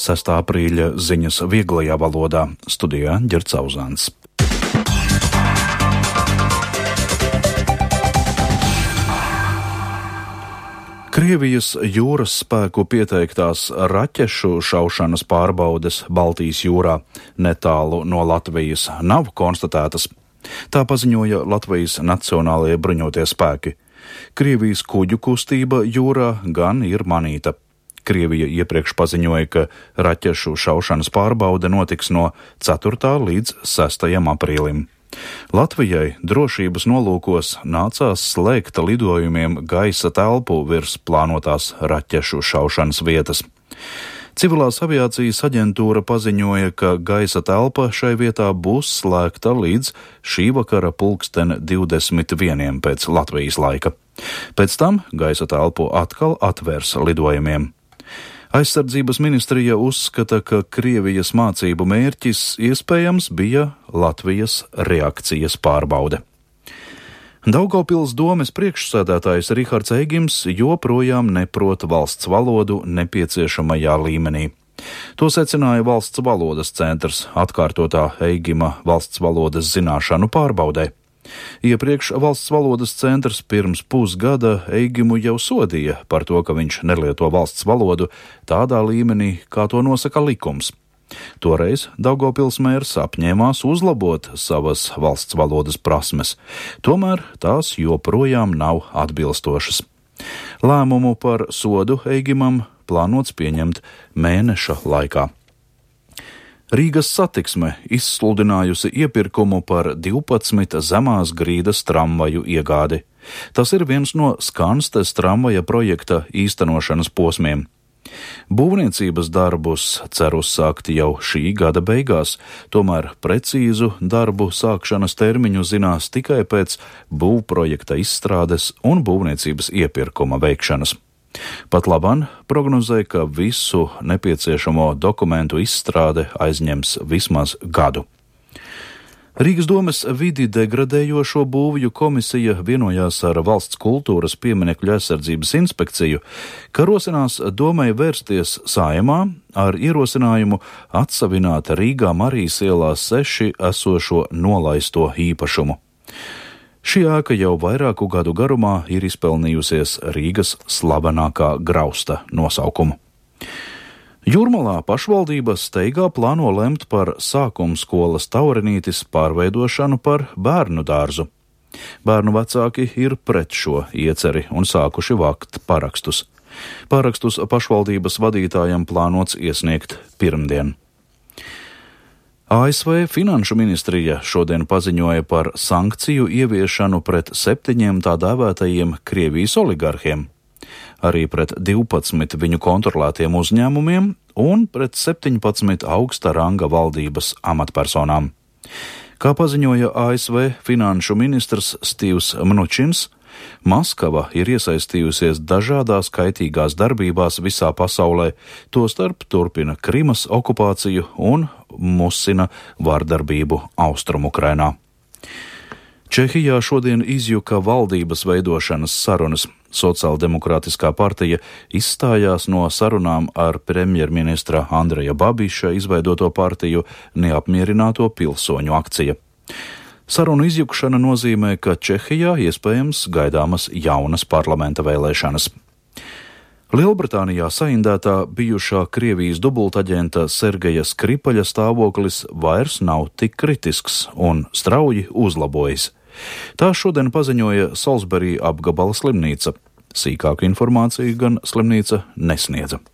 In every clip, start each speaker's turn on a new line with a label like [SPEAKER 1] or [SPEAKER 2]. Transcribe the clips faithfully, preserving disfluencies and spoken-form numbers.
[SPEAKER 1] sestā aprīļa ziņas vieglajā valodā. Studijā Ģerts Auzāns. Krievijas jūras spēku pieteiktās raķešu šaušanas pārbaudes Baltijas jūrā netālu no Latvijas nav konstatētas. Tā paziņoja Latvijas Nacionālajie bruņotie spēki. Krievijas kuģu kustība jūrā gan ir manīta. Krievija iepriekš paziņoja, ka raķešu šaušanas pārbaude notiks no ceturtā līdz sestajam aprīlim. Latvijai drošības nolūkos nācās slēgt lidojumiem gaisa telpu virs plānotās raķešu šaušanas vietas. Civilās aviācijas aģentūra paziņoja, ka gaisa telpa šai vietā būs slēgta līdz šī vakara pulksten divdesmit vieniem pēc Latvijas laika. Pēc tam gaisa telpu atkal atvērs lidojumiem. Aizsardzības ministrija uzskata, ka Krievijas mācību mērķis iespējams bija Latvijas reakcijas pārbaude. Daugavpils domes priekšsēdētājs Rihards Eigims joprojām neprot valsts valodu nepieciešamajā līmenī. To secināja Valsts valodas centrs atkārtotā Eigima valsts valodas zināšanu pārbaudē. Iepriekš Valsts valodas centrs pirms pusgada Eigimu jau sodīja par to, ka viņš nelieto valsts valodu tādā līmenī, kā to nosaka likums. Toreiz Daugavpils mērs apņēmās uzlabot savas valsts valodas prasmes, tomēr tās joprojām nav atbilstošas. Lēmumu par sodu Eigimam plānots pieņemt mēneša laikā. Rīgas satiksme izsludinājusi iepirkumu par divpadsmit zemās grīdas tramvaju iegādi. Tas ir viens no Skanstes tramvaja projekta īstenošanas posmiem. Būvniecības darbus cer uzsākt jau šī gada beigās, tomēr precīzu darbu sākšanas termiņu zinās tikai pēc būvprojekta izstrādes un būvniecības iepirkuma veikšanas. Pat labāk prognozē, ka visu nepieciešamo dokumentu izstrāde aizņems vismaz gadu. Rīgas domes vidi degradējošo būvju komisija vienojās ar Valsts kultūras pieminekļu aizsardzības inspekciju, ka rosinās domai vērsties Saeimā ar ierosinājumu atsavināt Rīgā Marijas ielā seši esošo nolaisto īpašumu. Šī ēka jau vairāku gadu garumā ir izpelnījusies Rīgas slavenākā grausta nosaukumu. Jūrmalā pašvaldība steigā plāno lemt par sākumskolas Taurenītis pārveidošanu par bērnu dārzu. Bērnu vecāki ir pret šo ieceri un sākuši vākt parakstus. Parakstus pašvaldības vadītājam plānots iesniegt pirmdien. A S V Finanšu ministrija šodien paziņoja par sankciju ieviešanu pret septiņiem tā dēvētajiem Krievijas oligarhiem, arī pret divpadsmit viņu kontrolētiem uzņēmumiem un pret septiņpadsmit augsta ranga valdības amatpersonām. Kā paziņoja A S V finanšu ministrs Stīvs Mnučins, Maskava ir iesaistījusies dažādās kaitīgās darbībās visā pasaulē, tostarp turpina Krimas okupāciju un musina vardarbību Austrumukrainā. Čehijā šodien izjuka valdības veidošanas sarunas. Sociāldemokrātiskā partija izstājās no sarunām ar premjerministra Andreja Babiša izveidoto partiju Neapmierināto pilsoņu akcija. Sarunu izjukšana nozīmē, ka Čehijā iespējams gaidāmas jaunas parlamenta vēlēšanas. Lielbritānijā saindētā bijušā Krievijas dubultaģenta Sergeja Skripaļa stāvoklis vairs nav tik kritisks un strauji uzlabojas. Tā šodien paziņoja Salisbury apgabala slimnīca. Sīkāku informāciju gan slimnīca nesniedza.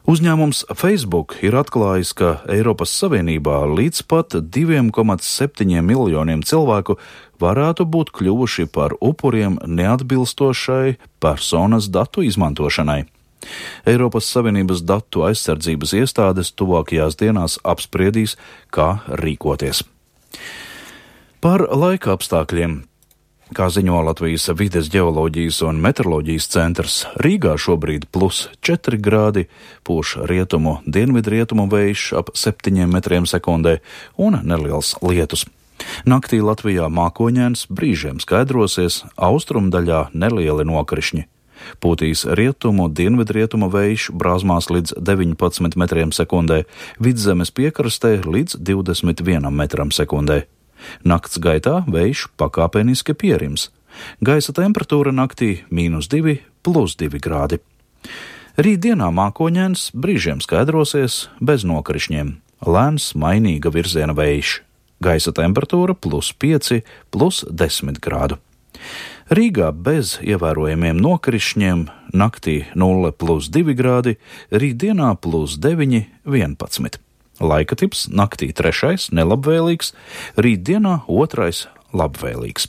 [SPEAKER 1] Uzņēmums Facebook ir atklājis, ka Eiropas Savienībā līdz pat diviem komats septiņiem miljoniem cilvēku varētu būt kļuvuši par upuriem neatbilstošai personas datu izmantošanai. Eiropas Savienības datu aizsardzības iestādes tuvākajās dienās apspriedīs, kā rīkoties. Par laika apstākļiem. Kā ziņo Latvijas vides ģeoloģijas un meteoroloģijas centrs, Rīgā šobrīd plus četri grādi, pūš rietumu dienvidrietumu vējš ap septiņiem metriem sekundē un neliels lietus. Naktī Latvijā mākoņains, brīžiem skaidrosies, austrumdaļā nelieli nokrišņi. Pūtīs rietumu, dienvidrietumu vējš brāzmās līdz deviņpadsmit metriem sekundē, Vidzemes piekrastē līdz divdesmit vienam metram sekundē. Nakts gaitā vējš pakāpeniski pierims. Gaisa temperatūra naktī mīnus divi, plus divi grādi. Rītdienā mākoņains, brīžiem skaidrosies, bez nokrišņiem. Lēns, mainīga virziena vējš. Gaisa temperatūra plus pieci, plus desmit grādu. Rīgā bez ievērojamiem nokrišņiem, naktī nulle plus divi grādi, rītdienā plus deviņi, vienpadsmit. Laika tips naktī trešais nelabvēlīgs, rītdienā otrais labvēlīgs.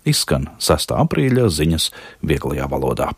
[SPEAKER 1] Izskan sestā aprīļa ziņas vieglajā valodā.